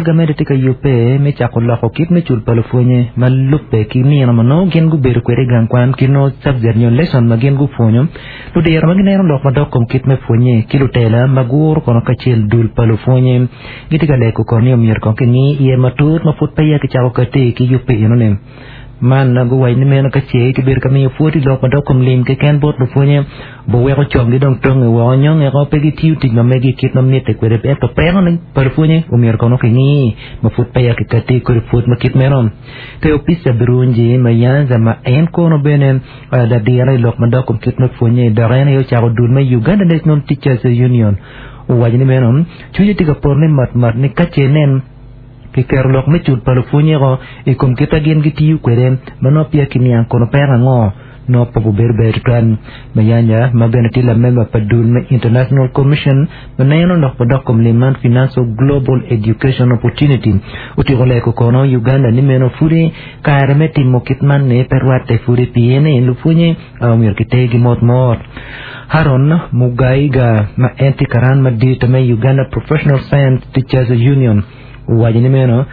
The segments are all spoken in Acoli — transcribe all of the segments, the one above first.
Gamente tye ka yubbe me cako loko kit me cul pa lupwonye ma lubbe ki nino ma nongo gin gubedo kwede i gang kwan ki nongo subject nyo lesson ma gin gupwonyo. Ludiro ma gineno lok madok kom kit me pwonye ki lutela ma guro kono kacel dul pa lupwonye gitye ka lego kono ni omyero kong kingi iye matut ma pud peya kicako kati ki yubbe enoni. Man guwaco ni meno ka ce kibedo ka miyo pwod i lok madok kom lim keken bot lupwonye, buweko conggi dong tonge woko nyo ngeko pe gitiyo tic ma megi kit ma mitte kwede. Ento peko ni pa lupwonye omyero kono kingi ma pud peya kikati kodi pwod ma kit meno. Theopista Birungi Mayanja ma en kono bene ladiro i lok madok kom kit me pwonye dok en aye ocako dul me Uganda National Teachers Union owaco ni meno cwinye tye ka poto ni motmot ni ka ce nen Kiketo lok me cul pa lupwonnyego i kom kit ma gin gitiyo kwede ma nongo peya kiniang kono peko ango nongo pe gubedo ber tutwal. Mayanja, ma bene tye lamemba pa dul me International Commission ma neno lok madok kom lim man Financial Global Education Opportunity, otyeko lego kono Uganda ni meno pudi kare me timo kit man ni pe rwatte pudi pien ni lupwonye myero kitergi mot mot. Haron Mugaiga ma en tye karan madit me Uganda Professional Science Teachers Union owaco ni meno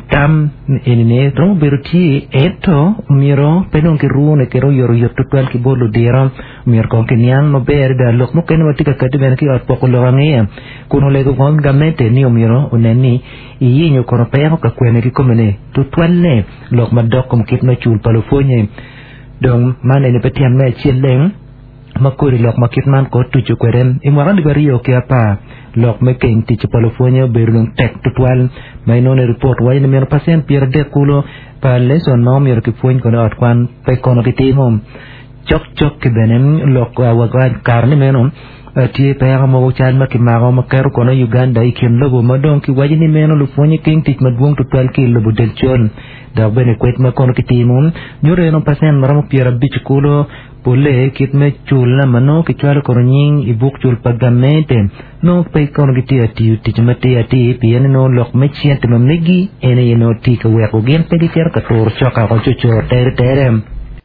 tam eni-ni romo bedo tye ento myero pe dong kirune kede oyotoyot tutwal ki bot ludiro. Myero kong kiniang maber adada lok mukene ma tye ka kati bene ki i ot poko lok angeya kun olego kong gamente ni omyero onen ni iyenyo kono peko ka kwene kikome-ni tutwalle lok madok kom kit me cul pa lupwonye. Dong man eni pe tyen me acel leng ma kodi lok ma kit man kor tuco kwede. I mwaka 2010, lok me keng tic pa lupwonye obedo dong tek tutwal ma inongo ni ripot waco ni myero pacent 30 kulu pa lecon ma omyero kipwony kono i ot kwan pe kono kitimo. Cokcok-ki bene lok wa kare ni meno tye peko mogo cal ma kimako ma keto kono Uganda i kin lobo ma dong kiwaco ni meno lupwonye keng tic madwong tutwal ki i lobo del col. Dok bene kwed ma kono kitimo nyuto eno pacent maromo 50 kulu polle kit me cul ma nongo kicwalo kono nying i buk cul pa gamente nongo pe kono gitye ka tiyo tic matir atir pien ni nongo lok me cente ma megi en aye nongo tye ka weko gin pe gicito ka turo coka oko cucur tere tere.